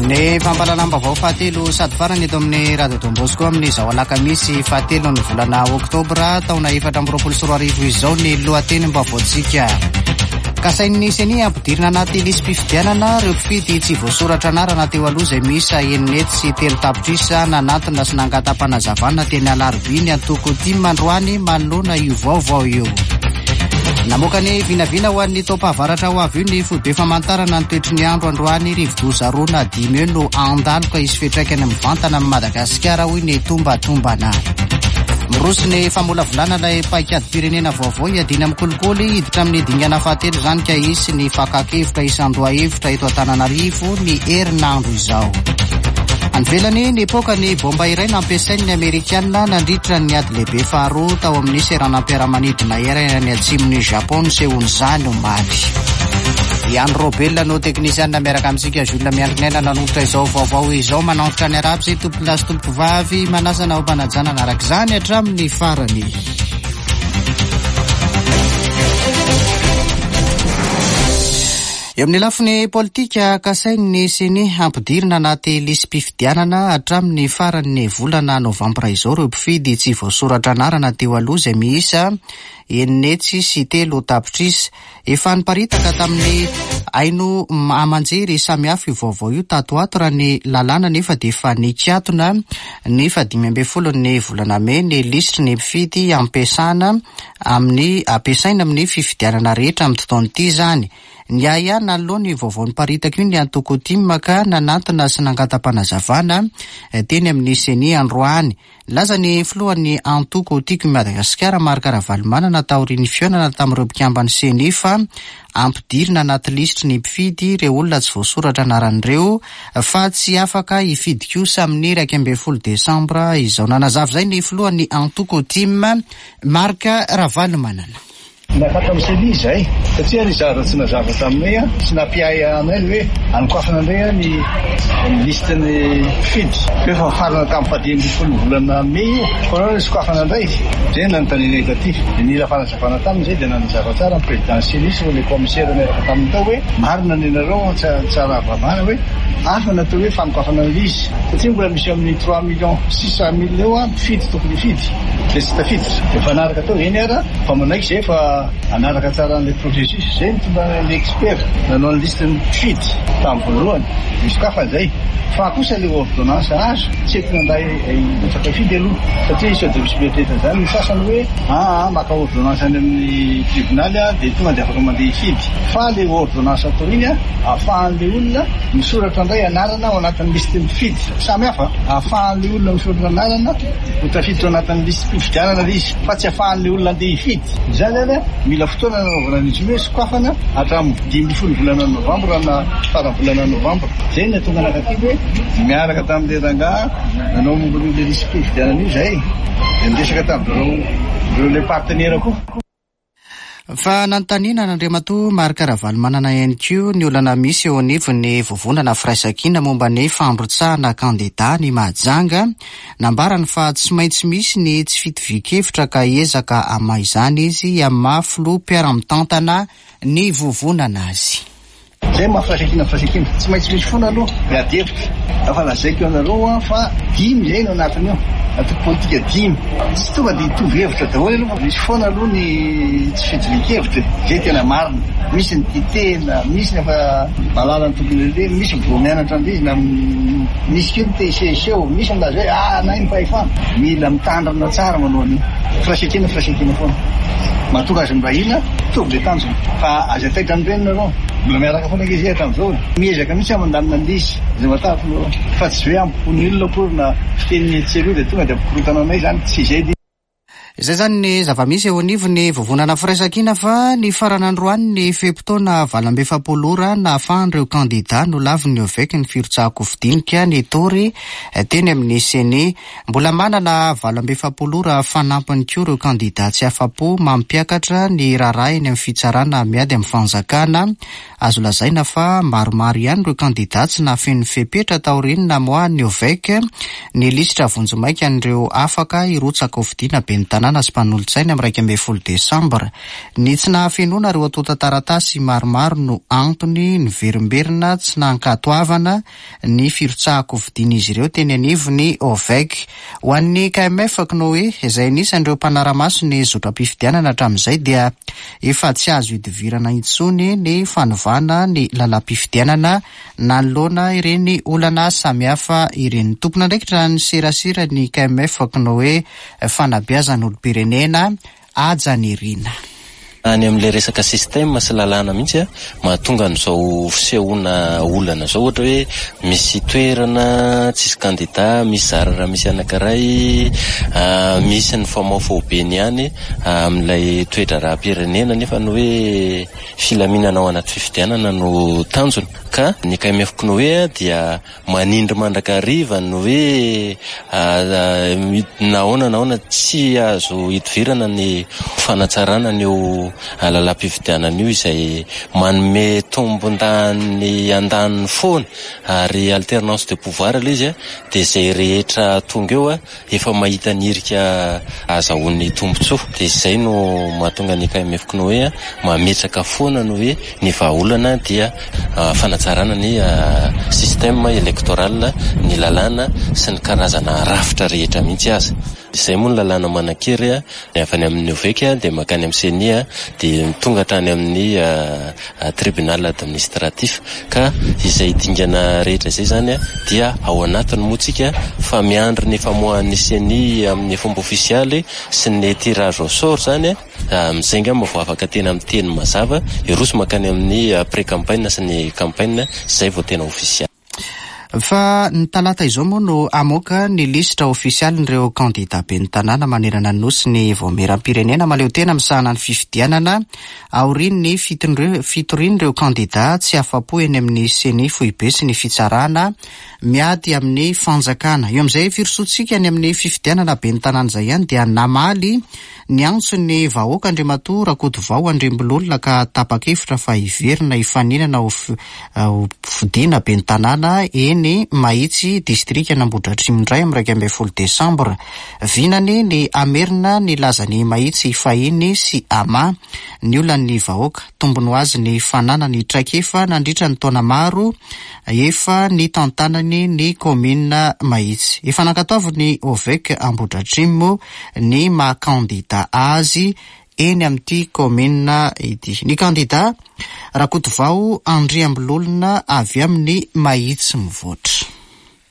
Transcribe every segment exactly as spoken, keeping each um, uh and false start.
Ny fampahalalam-baovao fahatelo sady farany eto amin'ny Radio Don Bosco amin'izao alakamisy fahatelo ny volana oktobra taona efatra amby roapolo sy roa arivo izao ny lohatenim-baovaontsika. Kasain'ny CENI ampidirina anaty lisi-pifidianana ireo mpifidy tsy voasoratra anarana teo aloha izay miisa enina hetsy sy telo tapitrisa. Nanatona sy nangata-panazavana teny Alarobia ny antoko TIM androany manoloana io vaovao io. Namoaka ny vinavina ho an'ny taom-pahavaratra ho avy io ny foibe famantarana ny toetry ny andro androany. Rivodoza roa na dimy eo no handalo ka hisy fiantraikany mivantana amin'i Madagasikara, hoy ny tombatombana. Miroso ny famolavolana ilay paikady-pirenena vaovao hiadiana amin'ny kolikoly. Hiditra amin'ny dingana fahatelo izany ka hisy ny fakan-kevitra isan-dohahevitra eto Antananarivo ny herinandro izao. Any ivelany, nipoaka ny bomba iray nampiasain'ny Amerikanina nandritra ny ady lehibe faharoa tao amin'ny seranam-piaramanidina iray any atsimon'i Japon nisehoan'izany omaly. Ian Robel no teknisianina miaraka amintsika. Jules Miandrinena nanolotra izao vaovao izao. Manantitra ny arabo izay tompokolahy sy tompokovavy, manasana ao am-panajana araka izany hatramin'ny farany. Eo amin'ny lafiny politika, kasain'ny CENI hampidirina anaty lisi-pifidianana hatramin'ny faran'ny volana novambra izao ireo mpifidy tsy voasoratra anarana teo aloha izay miisa enina hetsy sy telo tapitrisa. Efa niparitaka tamin'ny haino aman-jery samihafa io vaovao io tato ato raha ny lalàna, nefa dia efa nikatona ny fahadimy ambin'ny folo ny volana mey ny lisitry ny mpifidy ampiasana amin'ny ampiasaina amin'ny fifidianana rehetra amin'ity taona ity izany. Ny ahiahy nanoloana io vaovao niparitaka io ny antoko TIM ka nanantona sy nangata-panazavana teny amin'ny CENI androany. Nilaza ny filohan'ny antoko Tiako i Madagasikara Marc Ravalomanana taorian'ny fihaonana tamin'ireo mpikamban'ny CENI fa ampidirina anaty lisitry ny mpifidy ireo olona tsy voasoratra anaran'ireo fa tsy afaka hifidy kosa amin'ny iraika ambin'ny folo desambra izao. Nanazava izay ny filohan'ny antoko TIM Marc Ravalomanana. Nakatra amin'ny CENI izay satria ny zavatra tsy nazava taminay, tsy nampiahy anay ny hoe anokafana indray ny listin'ny mpifidy. Efa nifarana tamin'ny fahadimy ambin'ny folo volana mey io, fa nahoana no sokafana indray? Izay no nanontanianay taty. Dia nila fanazavana taminy izay, dia nanazava tsara ny président CENI sy ireo commissaire niaraka taminy tao hoe marina ny anareo, tsara vavana hoe hafa ny atao hoe fanokafana ny izy satria mbola misy amin'ny trois millions six cent mille eo mpifidy tokony hifidy dia tsy tafiditra. Dia mifanaraka tao eny ara fa manaiky izay fa anaraka tsara an'ilay processus izay nitondra ny expert nanao ny liste ny mpifidy tamin'ny voalohany misokafana izay. Fa kosa ilay ordonnance azo tsy entina indray hirotsaka hifidy aloha satria sao dia misy mieritreritra izany ny sasany hoe aa maka ordonnance any amin'ny tribonaly dia tonga dia afaka mandeha hifidy. Fa ilay ordonnance atao iny ahafahan'ilay olona misoratra indray anarana ao anatin'ny liste mpifidy. Samy hafa, ahafahan'ilay olona misoratra anarana ho tafiditra ao anatin'ny liste mpifidianana izy fa tsy ahafahan'ilay olona andeha hifidy. Izany zany mila fotoana nanaovana an'izy io hoe sokafana hatramin'ny dimy ambin'ny folo volana novambra na faran'ny volana novambra. Izay no nahatonga anakahy hoe miaraka tamin'ilay rangahy nanao momba an'io liste mpifidianana io izay dia niresaka tamin'ireo ireo ilay partenaire koa. Fa nanontaniana an'Andriamatoa Marc Ravalomanana ihany koa ny olana misy eo anivon'ny vovonana firaisankina momba ny fandrotsahana kandida ny Mahajanga. Nambarany fa tsy maintsy misy ny tsy fitovian-kevitra ka hiezaka hamaha izany izy amin'ny maha filoha mpiara-mitantana ny vovonana azy. Izay maha firaisankina firaisankina, tsy maintsy misy foana aloha ny ady hevitra. Efa lazaiko anareo fa dimy izay no anatiny eo, antoko politika dimy. Tsy tonga dia hitovy hevitra daholo aloha fa misy foana aloha ny tsy fitovian-kevitra. Izay tena marina. Misy ny tia tena, misy ny efa mahalala ny tokony aleha, misy vao mianatra an'izy na misy koa ny te hisehoseho, misy milaza hoe ah na ny fahefana. Mila mitandrina tsara manao an'io. Firaisankina firaisankina foana. Mahatonga azy miray hina, mitovy ilay tanjona. Fa aza taitra amin'ireny nareo. Mbola miaraka foana ankizy hatramin'izao. Miezaka mihitsy aho mandamina an'izy. Izay matahotra nareo. Fa tsy hoe ampompony olona akory na fiteniny etsy sy eroa dia tonga dia ampikorontana anay izany. Tsy izay ilay. Izay izany ny zava-misy eo anivon'ny vovonana firaisankina fa ny farany androany ny fe-potoana valo amby efapolo ora nahafahan'ireo kandida nolavin'ny OVEC ny firotsahan-kofidinika nitory teny amin'ny CENI. Mbola manana valo amby efapolo ora fanampiny koa ireo kandida tsy afa-po mampiakatra ny raharaha eny amin'ny fitsarana miady amin'ny fanjakana. Azo lazaina fa maromaro ihany ireo kandida tsy nahafeno fepetra taorian'ny namoahan'ny OVEC ny lisitra vonjimaika an'ireo afaka hirotsaka hofidiana ben'ny tanàna tanàna sy mpanolotsaina amin'ny iraika ambin'ny folo desambra. Ny tsy nahafenoana ireo antontan-taratasy maromaro no antony niverimberina tsy nankatoavana ny firotsahan-kofidian'izy ireo teny anivon'ny OVEC. Ho an'ny K M F C N O E izay anisan'ireo mpanara-maso ny zotram-pifidianana hatramin'izay dia efa tsy azo idivirana intsony ny fanovana ny lalam-pifidianana nanoloana ireny olana samihafa ireny. Tompon'andraikitra ny serasera ny K M F C N O E fanabeazan'olom-pirenena Haja Nirina. Any amin'ilay resaka système sy lalàna mihitsy a, mahatonga an'izao fisehoana olana zao, ohatra hoe misy toerana tsisy kandida, misy zara raha misy anankiray, ah, misy ny famaofaobeny ihany amin'ilay toe-draharaham-pirenena nefa ny hoe filaminana ao anaty fifidianana no tanjona. Ka ny K M F C N O E dia manindry mandrakariva ny hoe, ah, nahoana nahoana tsy azo idivirana ny fanatsarana ny io lalam-pifidianana io izay manome tombon-dany andaniny foana ary alternance de pouvoir ilay izy a, dia izay rehetra tonga eo a, efa mahita ny hirika azahoan'ny tombontsoa. Dia izay no mahatonga ny K M F C N O E a, mametraka foana ny hoe ny vahaolana dia, ah, fanatsarana ny, ah, système électoral, ny lalàna sy ny karazana rafitra rehetra mihitsy aza. Izay moa ny lalàna manan-kery a, ny avy any amin'ny OVEC a, dia mankany amin'ny C E N I a, dia tonga hatrany amin'ny, ah, ah, tribunal administratif. Ka izay dingana rehetra izay zany a, dia ao anatiny moa tsika fa miandry ny famoahan'ny C E N I amin'ny fomba ofisialy sy ny tirage au sort zany a, amin'izay angamba vao afaka tena miteny mazava, hiroso mankany amin'ny pré-campagne sy ny campagne, izay vao tena ofisialy. Fa ny talata izao moa no hamoaka ny lisitra ofisialin'ireo kandida ben'ny tanàna manerana ny nosy ny vaomieram-pirenena mahaleo tena misahana ny fifidianana aorian'ny fitondre-, fitorian'ireo kandida tsy afa-po eny amin'ny C E N I foibe sy ny fitsarana miady amin'ny fanjakana. Eo amin'izay firosoantsika any amin'ny fifidianana ben'ny tanàna izay ihany dia namaly ny antson'ny vahoaka Andriamatoa Rakotovao Andriambololona ka tapa-kevitra fa hiverina hifaninana ho fi-, ho fidiana ben'ny tanàna eny Mahitsy distrikan'Ambohidratrimo indray amin'ny iraika ambin'ny folo desambra. Vinany ny hamerina ny lazan'i Mahitsy fahiny sy ama ny olan'ny vahoaka. Tombony ho azy ny fananany traikefa nandritra ny taona maro efa nitantanany ny kaominina Mahitsy. Efa nankatoaviny OVEC Ambohidratrimo ny maha kandida azy eny amin'ity kaominina ity. Ny kandida Rakotovao Andriambololona avy amin'ny Mahitsy mivoatra.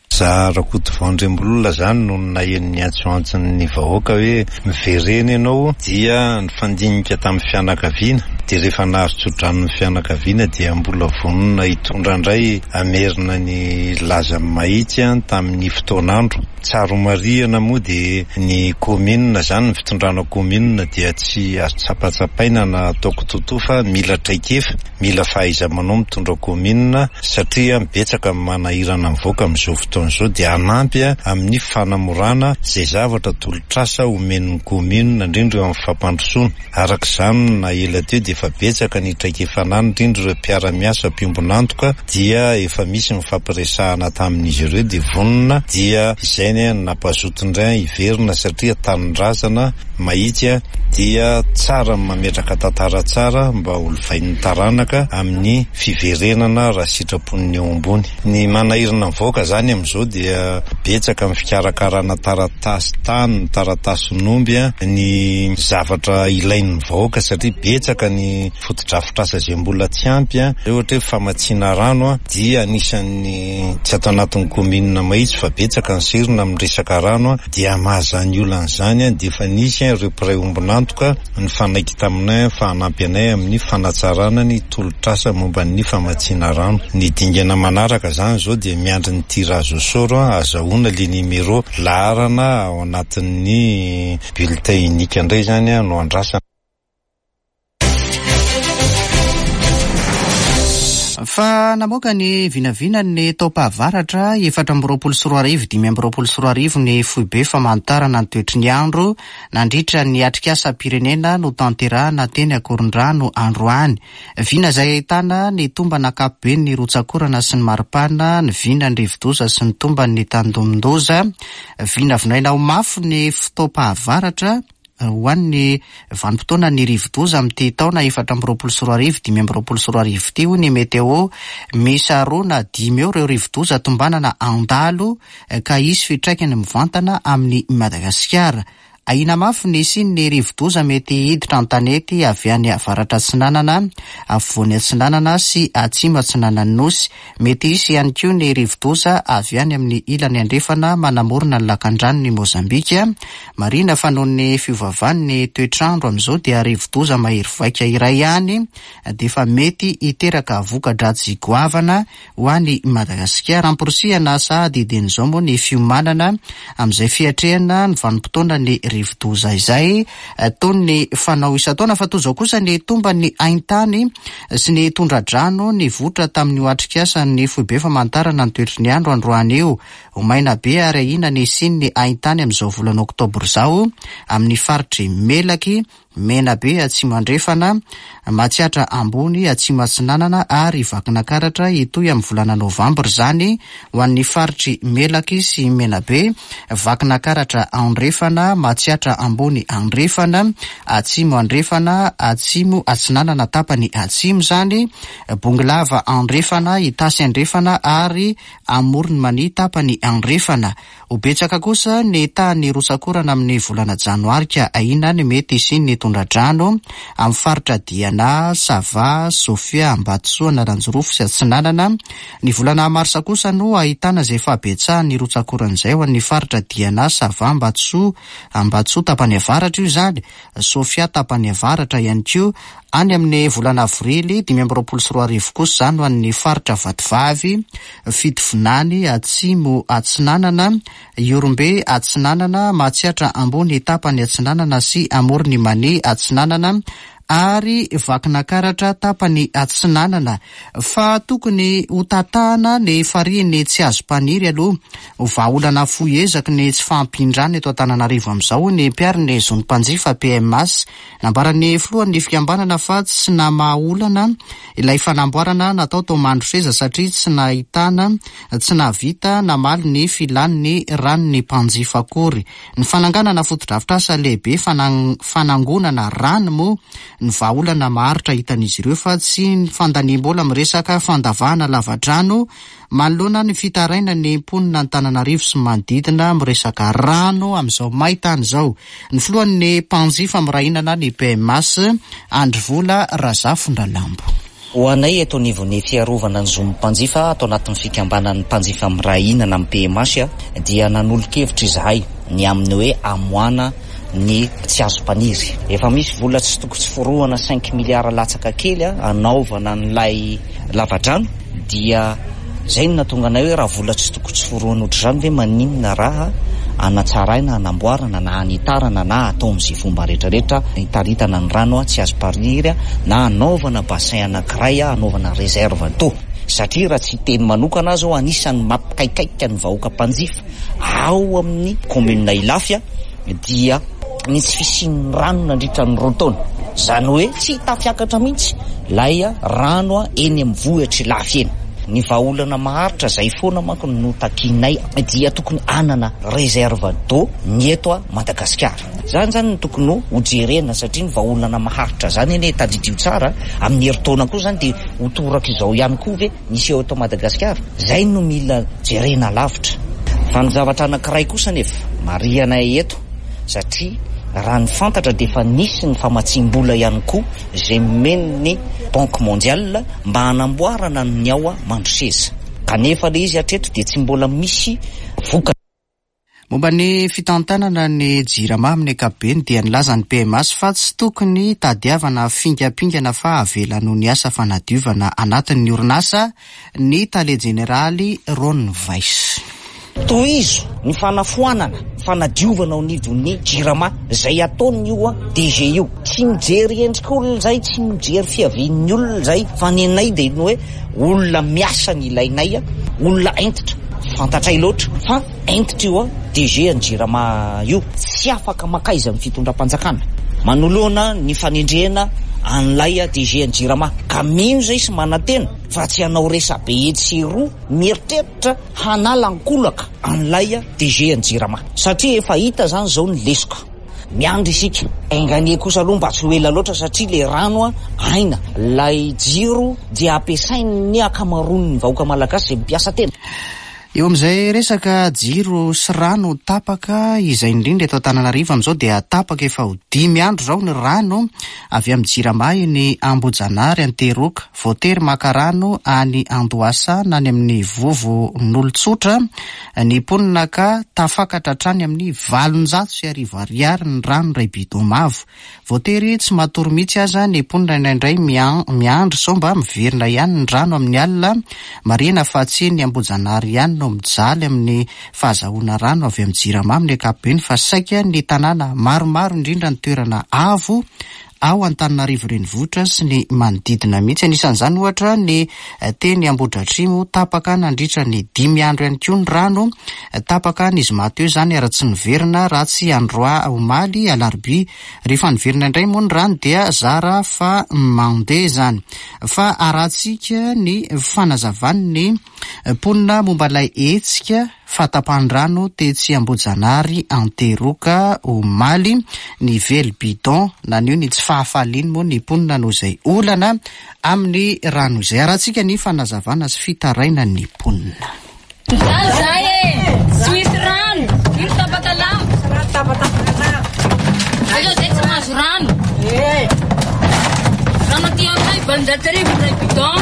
Za Rakotovao Andriambololona zany no naheno ny antsoantson'ny vahoaka hoe miverena ianao, dia nifandinika tamin'ny fianakaviana, dia rehefa nahazo tso-drano ny fianakaviana dia mbola vonona hitondra indray hamerina ny lazan'ny Mahitsy a, tamin'ny fotoan'andro. Tsara marihana moa dia ny kaominina zany, ny fitondrana kaominina dia tsy azo tsapatsapaina na ataoko toto fa mila traikefa, mila fahaiza-manao mitondra kaominina satria betsaka ny manahirana mivoaka amin'izao fotoana izao, dia hanampy a amin'ny fanamorana izay zavatra tolotr'asa omen'ny kaominina indrindra eo amin'ny fampandrosoana. Araka izany na ela teo dia efa betsaka ny traikefa anany indrindra ireo mpiara-miasa mpiombon'antoka dia efa misy ny fampiresahana tamin'izy ireo dia vonona, dia izay ny nampazoto indray hiverina satria tanindrazana Mahitsy a, dia tsara ny mametraka tantara tsara mba ho lovain'ny taranaka amin'ny fiverenana raha sitrapon'ny eo ambony. Ny manahirana mivoaka zany amin'izao dia betsaka amin'ny fikarakarana taratasy tany, taratasin'omby a, ny zavatra ilain'ny vahoaka satria betsaka ny fotodrafitrasa izay mbola tsy ampy a. Ohatra hoe famatsiana rano a, dia anisan'ny tsy ato anatin'ny kaominina Mahitsy fa betsaka ny serina amin'ny resaka rano a, dia mahazany olana izany a, dia efa nisy a ireo mpiray ombon'antoka nifanaiky taminay fa hanampy anay amin'ny fanatsarana ny tolotr'asa momba ny famatsiana rano. Ny dingana manaraka zany zao dia miandry ny tirage au sort a, azahoana le numéro laharana ao anatin'ny bulletin unique indray zany a no andrasana. Fa namoaka ny vinavinany taom-pahavaratra efatra amby roapolo sy roa arivo, dimy amby roapolo sy roa arivo ny foibe famantarana ny toetry ny andro nandritra ny atrikasam-pirenena notanterahana teny Ankorondrano androany. Vina izay ahitana ny tombana ankapobeny ny rotsakorana sy ny maripana, ny vina ny rivodoza sy ny tomban'ny tandindomin-doza. Vinavinaina ho mafy ny fotoam-pahavaratra ho an'ny vanim-potoana ny rivodoza amin'ity taona efatra amby roapolo sy roa arivo dimy amby roapolo sy roa arivo ity, hoy ny météo. Misy roa na dimy eo ireo rivodoza tombanana andalo ka hisy fiantraikany mivantana amin'ny Madagasikara. Ahiana mafy ny hisian'ny rivodoza mety hiditra an-tanety avy any avaratra atsinanana, afovoany atsinanana sy atsimo atsinanan'ny Nosy. Mety hisy ihany koa ny rivodoza avy any amin'ny ilany andrefana manamorona ny lakandranon'i Mozambika. Marihina fa noho ny fiovaovan'ny toetrandro amin'izao dia rivodoza mahery vaika iray ihany dia efa mety hiteraka voka-dratsy goavana ho any Madagasikara. Amporisihana sahady dieny izao moa ny fiomanana amin'izay fiatrehana ny vanim-potoana ny rivodoza izay toy ny fanao isan-taona. Fa toy izao kosa ny tomban'ny haintany sy ny tondra-drano nivoitra tamin'io atrikasa ny foibe famantarana ny toetry ny andro androany io. Ho maina be ary ahiana ny hisian'ny haintany amin'izao volana oktobra izao amin'ny faritry Melaky, Menabe atsimo andrefana, Matsiatra ambony, atsimo atsinanana ary Vakinankaratra. Hitohy amin'ny volana novambra izany ho an'ny faritry Melaky sy Menabe, Vakinankaratra andrefana, Matsiatra ambony andrefana, atsimo andrefana, atsimo atsinanana tapany atsimo izany, Bongolava andrefana, Itasy andrefana ary Amoron'i Mania tapany andrefana. Ho betsaka kosa ny tahan'ny rotsakorana amin'ny volana janoary ka ahiana ny mety hisian'ny tondra-drano amin'ny faritra Diana, Sava, Sofia, Ambatosoa, Analanjirofo sy Atsinanana. Ny volana marsa kosa no ahitana izay fahabetsahan'ny rotsakorana izay ho an'ny faritra Diana, Sava, Ambatosoa, Ambatosoa tapany avaratra io izany, Sofia tapany avaratra ihany koa. Any amin'ny volana avrily dimy amby roapolo sy roa arivo kosa izany ho an'ny faritra Vatovavy, Fitovinany, Atsimo Atsinanana, Ihorombe Atsinanana, Matsiatra ambony tapany atsinanana sy Amoron'i Mania atsinanana ary Vakinankaratra tapany atsinanana. Fa tokony ho tatahana ny farihiny Tsiazompaniry aloha ho vahaolana fohy ezaky ny tsy fahampian-drano eto Antananarivo amin'izao, ny mpiaro ny zon'ny mpanjifa P M H. Nambaran'ny filohan'ny fikambanana fa tsy namaha olana ilay fanamboarana natao tao Mandroseza satria tsy nahitana, tsy nahavita namaly ny filan'ny ranon'ny mpanjifa akory. Ny fananganana fotodrafitrasa lehibe fanangonana rano moa ny vahaolana maharitra hitan'izy ireo fa tsy ny fandaniam-bola miresaka fandavahana lavadrano. Manoloana ny fitaraina ny mponina Antananarivo sy manodidina miresaka rano amin'izao maintany izao, ny filohan'ny mpanjifa miray hinana, ny P M H, Andrivola Razafindralambo. Ho anay eto anivon'ny fiarovana ny zon'ny mpanjifa ato anatin'ny fikambanan'ny mpanjifa miray hinana amin'ny P M H dia nanolo-kevitra izahay ny amin'ny hoe amoana ny Tsiazompaniry. Efa misy vola tsy toko tsy forohana, cinq milliards latsaka kely a anaovana n'lay lavadrano, dia zay no natonga anay hoe raha vola tsy toko tsy forohana ohatr' izany ve, maninona raha anatsaraina, anamboarana na anitarana na atao amin'izay fomba rehetrarehetra hitaritana ny rano a Tsiazompaniry a na anaovana bassin anankiray a anaovana réserve d'eau? Satria raha tsy teny manokana azy ao, anisan'ny mampikaikaika ny vahoaka mpanjifa ao amin'ny commune Ilafy a dia ny tsy fisian'ny rano nandritra ny roa taona. Zany hoe tsy tafiakatra mihitsy lay a rano a eny amin'ny vohitry Ilafy eny. Ny vahaolana maharitra zay foana manko no takinay dia tokony anana réserve d'eau ny eto a Madagasikara. Zany zany ny tokony ho jerena, satria ny vahaolana maharitra zany eny e, tadidio tsara, amin'ny herintaona koa zany de ho toraka izao ihany koa ve nisy eo eto Madagasikara? Zay no mila jerena lavitra. Fa ny zavatra anankiray kosa nefa marihanay eto, satria raha ny fantatra de efa nisy ny famatsim-bola ihany koa zay nomen'ny Banque mondiale mba hanamboarana ny ao a Mandroseza, kanefa le izy hatreto de tsy mbola misy voka. Momba ny fitantanana ny Jirama amin'ny ankapobeny dia nilaza ny P M H fa tsy tokony tadiavana fingampingana fa avela noho ny asa fanadiovana anatin'ny orinasa ny tale jeneraly Ron Weiss. Tohizo ny fanafoanana fanadiovana ao anivon'ny Jirama zay ataony io a D G io. Tsy mijery endrika olona zay, tsy mijery fiavian'ny olona zay, fa ny anay de ny hoe olona miasa ny ilainay a olona entitra. Fantatray loatra fa entitra io a D G ny Jirama io, tsy afaka makaiza amin'ny fitondram-panjakana manoloana ny fanendrena an'ilay a D G ny Jirama, ka mino zay sy manantena fa tsy hanao resabe etsy sy roa mieritreritra hanala ankolaka an'ilay a D G ny Jirama, satria efa hita zany zao ny lesoka. Miandry isika. Enga anie kosa aloha mba tsy ho ela loatra satria le rano a aina, lay jiro dia ampiasain'ny ankamaroan'ny vahoaka malagasy izay mpiasa tena. Eo amin'izay resaka jiro sy rano tapaka izay indrindra eto Antananarivo amin'izao dia tapaka efa ho dimy andro izao ny rano avy amin'ny Jirama eny Ambohijanahary Antehiroka. Voatery maka rano any Andohasa na any amin'ny vovon'olon-tsotra ny mponina ka tafakatra hatrany amin'ny valonjato sy arivo ariary ny rano iray bidon mavo. Voatery tsy matory mihitsy aza ny mponina indraindray miandry sao mba miverina ihany ny rano amin'ny alina. Marihina fa tsy ny Ambohijanahary ihany no mijaly amin'ny fahazahoana rano avy amin'ny Jirama amin'ny ankapobeny fa saika ny tanàna maromaro indrindra ny toerana avo ao Antananarivo renivohitra sy ny manodidina mihitsy. Anisan'izany ohatra ny teny Ambohidratrimo tapaka nandritra ny dimy andro ihany koa ny rano tapaka ny zoma teo izany ary tsy niverina raha tsy androa omaly alarobia. Rehefa niverina indray moa ny rano dia zara fa mandeha izany. Fa arahantsika ny fanazavan'ny mponina momba ilay hetsika fahatapahan-drano tetsy Ambohijanahary Antehiroka omaly. Ny vely bidon naneho ny tsy fahafaliany moa ny mponina noho izay olana amin'ny rano izay. Arahantsika ny fanazavana sy fitarainan'ny mponina. Mijaly zahay e, tsy misy rano, ino tapaka lamba, aleo zay tsy mahazo rano. Rano aty aminay valonjato arivo iray bidon.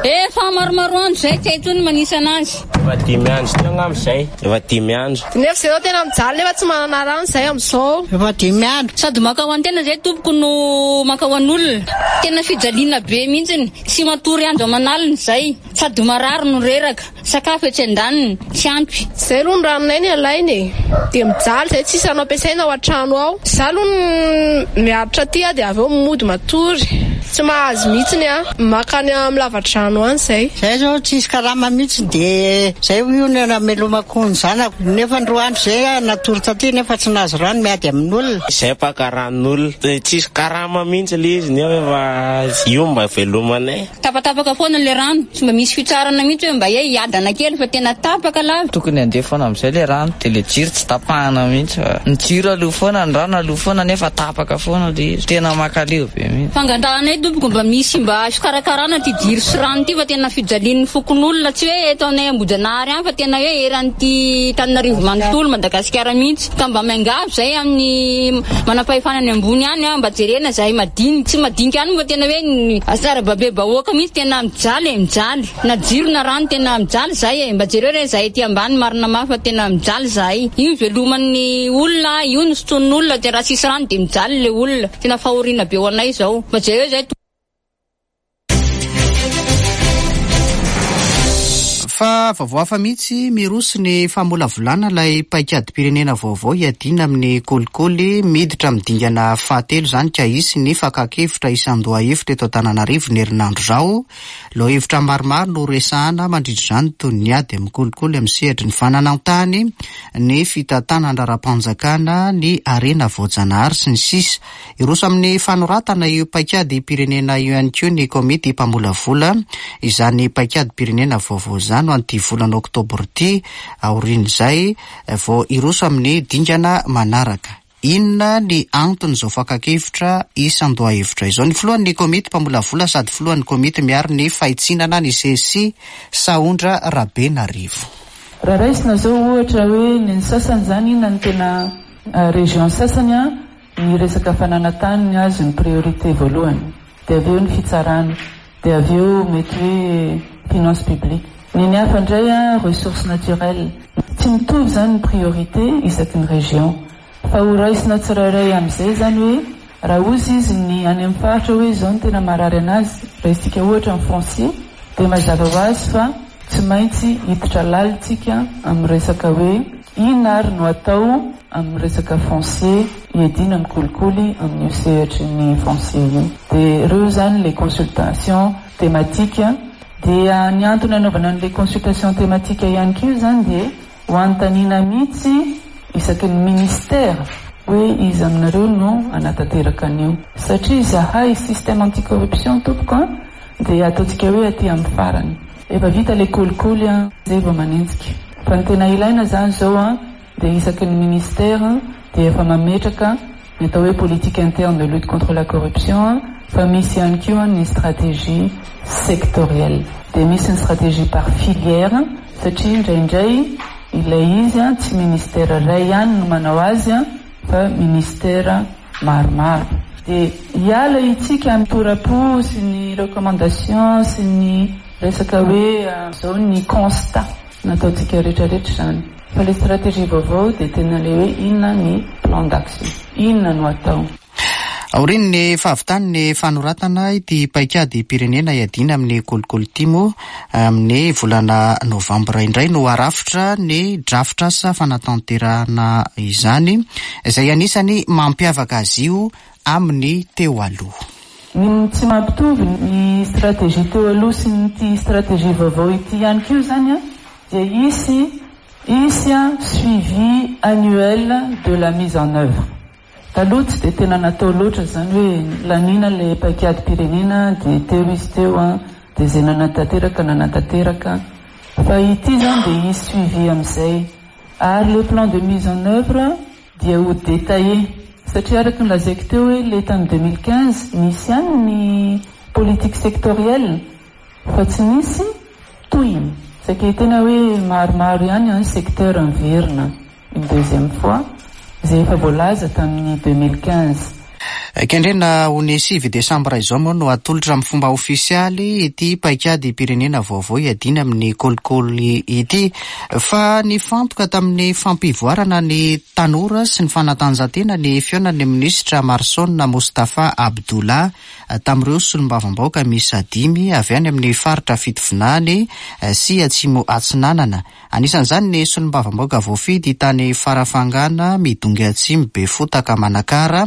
Efa maromaro andro zay tsy hay intsony manisa anazy. Efa dimy andro teo angamba zay, efa dimy andro. Nefa zay zao tena mijaly nefa tsy manana rano zay amin'izao. Efa dimy andro. Sady maka ho an-tena zay tompoko no maka ho an'olona. Tena fijaliana be mihitsiny, tsy matory andro aman'alina zay. Sady marary no reraka, sakafo etsy an-daniny, tsy ampy. Zay aloha ny ranonay ny alaina e. Dia mijaly zay tsisy rano ampiasaina ao an-trano ao. Za aloha miaritra aty aho dia avy eo mody matory. Tsy mahazo mihitsiny aho, maka any amin'ny lavadrano any zay. Zay zao tsisy karama mihitsy dia zay io no namelomako ny zanako. Nefa ny roa andro zay natory taty nefa tsy nahazo rano miady amin'olona. Zay mpaka ranon'olona, tsisy karama mihitsy le izy nefa efa io mba velomanay. Tapatapaka foana le rano, tsy mba misy fitsarana mihitsy hoe mba hoe hiadana kely fa tena tapaka lava. Tokony handeha foana amin'izay le rano dia le jiro tsy tapahana mihitsy fa ny jiro aloha foana, ny rano aloha foana nefa tapaka foana le izy. Tena makaleo be mihitsy. Fangatahana tompoko mba misy mba fikarakarana ty jiro sy rano ty fa tena fijalian'ny fokonolona, tsy hoe eto aminay Ambohijanahary any fa tena hoe eran'ity Tananarivo manontolo Madagasikara mihitsy. Ka mba miangavy zay amin'ny manam-pahefana any ambony any mba jerena zahay madinika, tsy madinika any fa tena hoe asarababe bahoaka mihitsy tena mijaly e, mijaly. Na jiro na rano tena mijaly zay e, mba jereo re zahay ty ambany marina mafy fa tena mijaly zahay. Io veloman'ny olona, io no sotroin'olona, dia raha tsisy rano dia mijaly le olona. Tena fahoriana be ho anay zao. Mba jereo zay. Fa vaovao hafa mihitsy, miroso ny famolavolana ilay paikady-pirenena vaovao hiadiana amin'ny kolikoly. Miditra amin'ny dingana fahatelo izany ka hisy ny fakan-kevitra isan-dohahevitra eto Antananarivo ny herinandro izao. Lohahevitra maromaro no resahana mandritra izany toy ny ady amin'ny kolikoly amin'ny sehatry ny fananan-tany, ny fitantanana ara-panjakana, ny harena voajanahary sy ny sisa. Hiroso amin'ny fanoratana io paikady-pirenena io ihany koa ny komity mpamolavola izany paikady-pirenena vaovao izany no an'ity volana oktobra ity. Aorian'izay vao hiroso amin'ny dingana manaraka. Inona ny anton'izao fakan-kevitra isan-dohahevitra izao? Ny filohan'ny komity mpamolavola sady filohan'ny komity miaro ny fahitsinana ny C S I, Sahondra Rabenarivo. Raha raisina zao ohatra hoe ny sasany zany inona ny tena région sasany a, ny resaka fananantany ny azo ny priorité voalohany, dia avy eo ny fitsarana, dia avy eo mety hoe finance publique. Ny ny hafa indray a, ressources naturelles. Tsy mitovy zany ny priorité isaky ny région. Fa ho raisina tsirairay amin'izay zany hoe raha ozy izy ny any amin'ny faritra hoe izao no tena marary anazy, raisitsika ohatra ny foncier, dia mazava ho azy fa tsy maintsy hiditra lalitsika amin'ny resaka hoe inona ary no atao amin'ny resaka foncier hiadiana amin'ny kolikoly amin'io sehatry ny foncier io. Dia ireo zany les consultations thématiques. Dia ny antony anaovana an'ilay consultation thématique ihany koa zany dia ho anontaniana mihitsy isaky ny ministère hoe iza aminareo no anatanteraka an'io. Satria izahay système anticorruption tompoko a, dia ataontsika hoe aty amin'ny farany. Efa vita ilay kolikoly a, zay vao manenjika. Fa ny tena ilaina zany zao a, dia isaky ny ministère dia efa mametraka ny atao hoe politique interne de lutte contre la corruption, fa misy ihany koa ny stratégie sectorielle, dia misy ny stratégie par filière, satria indraindray ilay izy a tsy ministère ray ihany no manao azy a fa ministère maromaro. Dia hiala itsika amin'ny torapo sy ny recommandation sy ny resaka hoe zao ny constat nataontsika rehetrarehetra zany, fa le stratégie vaovao dia tena le hoe inona ny plan d'action, inona no atao. Aorian'ny fahavitan'ny fanoratana ity paikady-pirenena iadiana amin'ny kolikoly ity moa, amin'ny volana novambra indray no arafitra ny drafitrasa fanatanterahana izany, izay anisany mampiavaka azy io amin'ny teo aloha. Ny tsy mampitovy ny stratégie teo aloha sy ny ty stratégie vaovao ity ihany koa zany a dia hisy hisy a suivi annuel de la mise en œuvre. Taloha tsy dia tena natao loatra zany hoe lanina le paikady-pirenena dia teo izy teo a dia zay nanatanteraka nanatanteraka, fa ity zany dia hisy suivi amin'izay, ary le plan de mise en œuvre dia ho détaillé, satria araka ny lazaiko teo hoe le tamin'ny deux mille quinze nisy ihany ny politique sectorielle fa tsy nisy tohiny, saika tena hoe maromaro ihany ny secteur miverina une deuxième fois izay efa voalaza tamin'ny deux mille quinze. Kendrena ho ny sivy desambra izao moa no atolotra amin'ny fomba ofisialy ity paikady-pirenena vaovao iadiana amin'ny kolikoly ity, fa nifantoka tamin'ny fampivoarana ny tanora sy ny fanatanjahantena ny fihaonan'ny minisitra Marson Moustapha Abdullah tamin'ireo solombavambahoaka miisa dimy avy any amin'ny faritra Fitovinany sy Atsimo Atsinanana. Anisan'izany ny solombavambahoaka voafidy tany Farafangana, Midongy Atsimo, Befotaka, Manakara.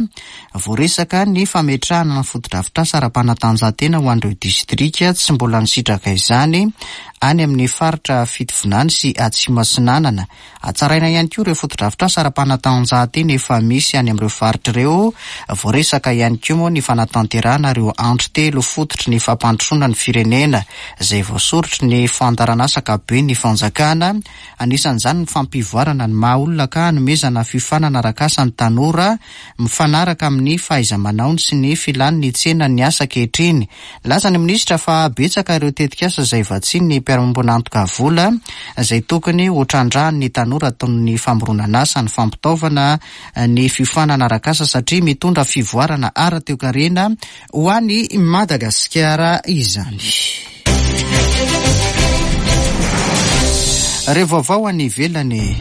Voaresaka ny fametrahana ny fotodrafitrasa ara-panatanjahantena ho an'ireo distrika tsy mbola nisitraka izany any amin'ny faritra Fitovinany sy Atsimo Atsinanana. Hatsaraina ihany koa ireo fotodrafitrasa ara-panatanjahantena efa misy any amin'ireo faritra ireo. Voaresaka ihany koa moa ny fanatanterahana ireo andro telo fototry ny fampandrosoana ny firenena izay voasorotry ny fandaharanasa ankapoben'ny fanjakana. Anisan'izany ny fampivoarana ny maha olona ka hanomezana fiofanana arak'asa ny tanora mifanaraka amin'ny fahaiza-manaony sy ny filan'ny tsena ny asa ankehitriny. Nilaza ny minisitra fa betsaka ireo tetikasa izay vatsian'ny mpiara-miombon'antoka vola izay tokony ho trandrahan'ny tanora toy ny famoronana asa, ny fampitaovana, ny fiofanana arak'asa, satria mitondra fivoarana ara-toekarena ho an'i Madagasikara izany. Ireo vaovao any ivelany.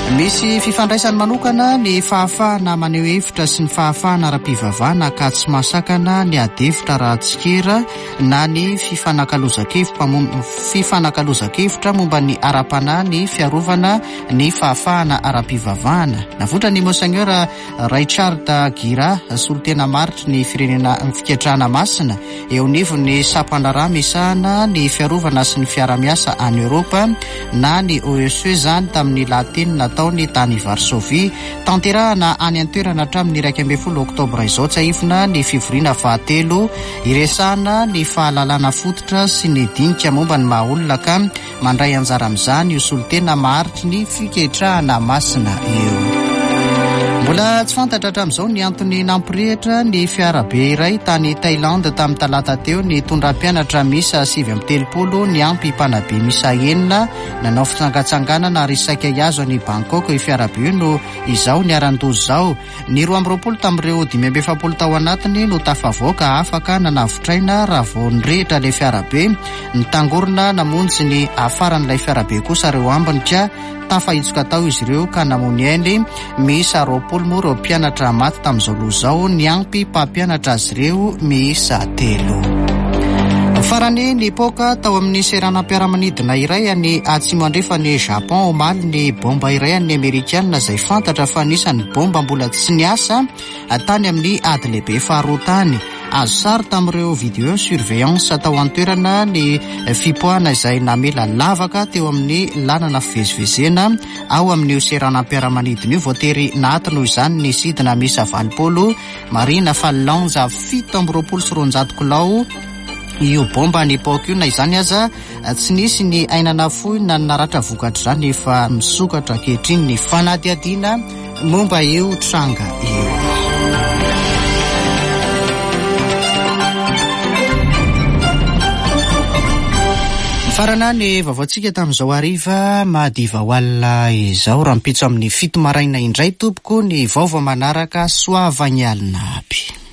Misy fifandraisany manokana ny fahafahana maneho hevitra sy ny fahafahana ara-pivavahana ka tsy mahasakana ny ady hevitra ara-tsikera na ny fifanakalozan-kevitra momba ny ara-panahy ny fiarovana ny fahafahana ara-pivavahana. Navoitra ny Monseigneur Richard Gira, solontena maritry ny firenena fiketrahana masina eo anivon'ny sampandraharaha misahana ny fiarovana sy ny fiarahamiasa any Eoropa na ny O E C zany tamin'ny lahateny nataony tany Varsovie. Tanterahana any an-toerana hatramin'ny iraika ambin'ny folo oktobra izao tsiahivina ny fivoriana fahatelo iresahana ny fahalalana fototra sy ny dinika momba ny maha olona ka mandray anjara amin'izany io solontena maharitry ny fiketrahana masina io. Mbola tsy fantatra hatramin'izao ny antony nampirehitra ny fiarabe iray tany Thaïlande tamin'ny talata teo ny nitondra mpianatra miisa sivy amby telopolo niampy mpanabe miisa enina nanao fitsangatsanganana ary saika hihazo any Bangkok io fiarabe io no izao niharan-doza izao. Ny roa amby roapolo tamin'ireo dimy amby efapolo tao anatiny no tafavoaka afaka nanavotra aina raha vao nirehitra ilay fiarabe. Nitangorona namonjy ny afaran'ilay fiarabe kosa ireo ambiny ka tafahitsoka tao izy ireo ka namony ainy. Miisa roapolo moa ireo mpianatra maty tamin'izao loza izao, niampy mpampianatra azy ireo miisa telo. Farany nipoaka tao amin'ny seranam-piaramanidina iray any atsimo andrefan'i Japon omaly ny bomba iray an'ny Amerikana izay fantatra fa anisan'ny bomba mbola tsy niasa tany amin'ny ady lehibe faharoa tany. Azo sary tamin'ireo vidéo surveillance tao an-toerana ny fipoahana izay namela lavaka teo amin'ny lalana fivezivezena ao amin'io seranam-piaramanidina io. Voatery nahato noho izany ny sidina miisa valopolo, marihina fa lanja fito amby roapolo sy roanjato kilao io bomba nipoaka io. Na izany aza tsy nisy ny aina nafoy na ny naratra vokatr'izany, efa misokatra ankehitriny ny fanadihadiana momba io tranga io. Farana ny vaovaontsika tamin'izao hariva madiva ho alina izao. Rahampitso amin'ny fito maraina indray tompoko ny vaovao manaraka. Soavagny alina aby.